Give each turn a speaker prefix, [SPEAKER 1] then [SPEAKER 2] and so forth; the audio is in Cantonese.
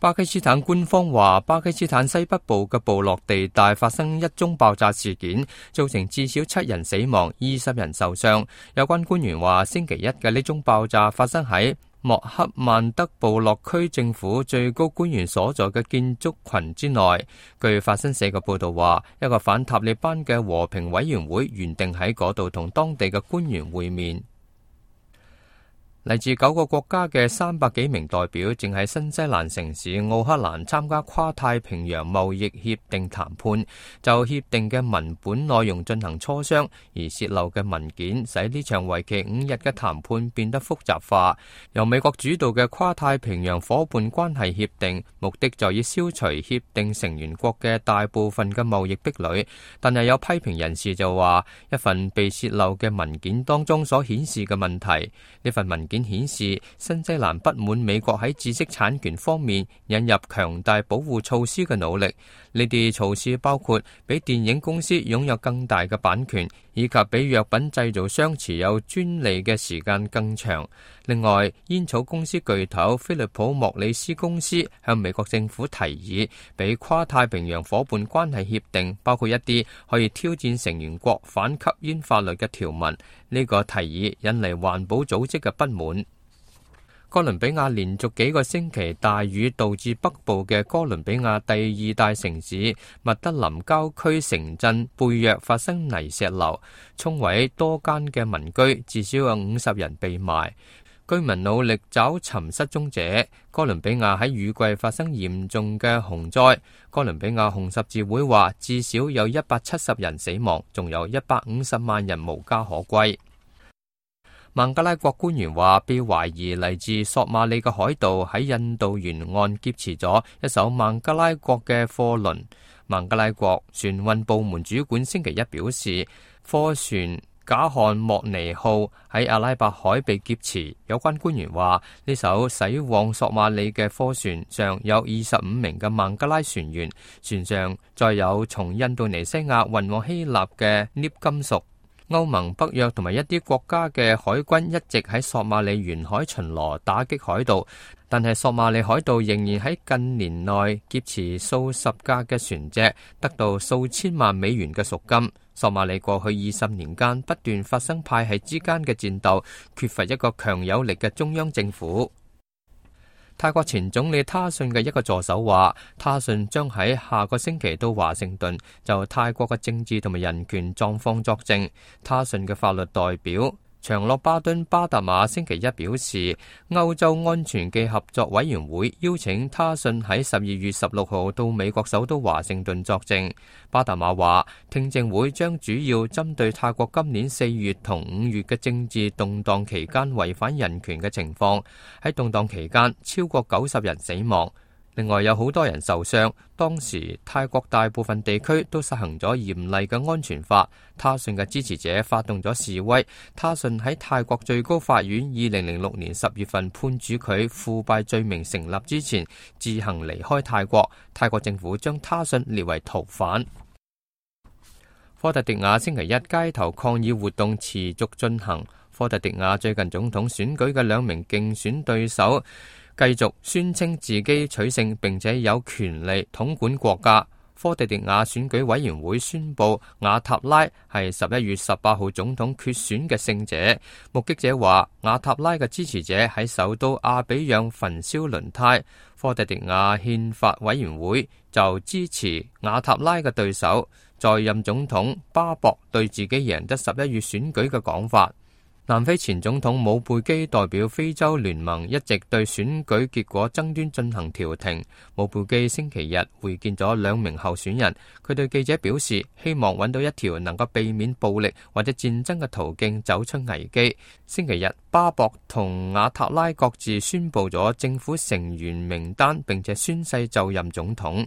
[SPEAKER 1] 巴基斯坦官方話，巴基斯坦西北部嘅部落地帶發生一宗爆炸事件，造成至少7人死亡、20人受傷。有關官員話，星期一嘅呢宗爆炸發生喺莫克曼德部落區政府最高官員所在嘅建築群之內。據法新社嘅報導話，一個反塔利班嘅和平委員會原定喺嗰度同當地嘅官員會面。嚟自9個國家嘅300幾名代表正喺新西蘭城市奧克蘭參加跨太平洋貿易協定談判，就協定嘅文本內容進行磋商，而洩漏嘅文件使呢場為期5日嘅談判變得複雜化。由美國主導嘅跨太平洋夥伴關係協定，目的在於消除協定成員國嘅大部分嘅貿易壁壘，但係有批評人士就話，一份被洩漏嘅文件當中所顯示嘅問題，呢份文件顯示新西蘭不滿美國喺知識產權方面引入強大保護措施嘅努力。呢啲措施包括俾電影公司擁有更大嘅版權，以及俾藥品製造商持有專利嘅時間更長。另外，煙草公司巨頭菲利普莫里斯公司向美國政府提議，俾跨太平洋夥伴關係協定包括一啲可以挑戰成員國反吸煙法律嘅條文。呢個提議引嚟環保組織嘅不滿。哥倫比亞連續幾個星期大雨，導致北部嘅哥倫比亞第2大城市密德林郊區城鎮貝約發生泥石流，沖毀多間嘅民居，至少有50人被埋。居民努力找尋失蹤者。哥倫比亞喺雨季發生嚴重嘅洪災。哥倫比亞紅十字會話，至少有170人死亡，仲有150萬人無家可歸。孟加拉國官員話，被懷疑嚟自索馬里嘅海盜喺印度沿岸劫持咗一艘孟加拉國嘅貨輪。孟加拉國船運部門主管星期一表示，貨船賈漢莫尼號喺阿拉伯海被劫持。有關官員話，呢艘駛往索馬里嘅貨船上有25名嘅孟加拉船員，船上載有從印度尼西亞運往希臘嘅鎳金屬。歐盟、北約同埋一啲國家嘅海軍一直喺索馬里沿海巡邏打擊海盜，但係索馬里海盜仍然喺近年內劫持數十架嘅船隻，得到數千萬美元嘅贖金。索馬里過去20年間不斷發生派系之間嘅戰鬥，缺乏一個強有力嘅中央政府。泰國前總理他信嘅一個助手話，他信將喺下個星期到華盛頓就泰國嘅政治同埋人權狀況作證。他信嘅法律代表長洛巴敦巴達馬星期一表示，歐洲安全暨合作委員會邀請他信喺12月16號到美國首都華盛頓作證。巴達馬話，聽證會將主要針對泰國今年4月同5月嘅政治動盪期間違反人權嘅情況。喺動盪期間，超過90人死亡。另外有好多人受傷。當時泰國大部分地區都實行咗嚴厲嘅安全法。他信嘅支持者發動咗示威。他信喺泰國最高法院2006年10月份判處佢腐敗罪名成立之前，自行離開泰國。泰國政府將他信列為逃犯。科特迪瓦星期一街頭抗議活動持續進行。科特迪瓦最近總統選舉嘅2名競選對手繼續宣稱自己取勝，並且有權利統管國家。科特迪瓦選舉委員會宣布瓦塔拉係11月18號總統決選嘅勝者。目擊者話，瓦塔拉嘅支持者喺首都阿比讓焚燒輪胎。科特迪瓦憲法委員會就支持瓦塔拉嘅對手在任總統巴博對自己贏得11月選舉嘅講法。南非前總統姆貝基代表非洲聯盟一直對選舉結果爭端進行調停。姆貝基星期日會見咗2名候選人，佢對記者表示，希望揾到一條能夠避免暴力或者戰爭嘅途徑走出危機。星期日，巴博同瓦塔拉各自宣布咗政府成員名單，並且宣誓就任總統。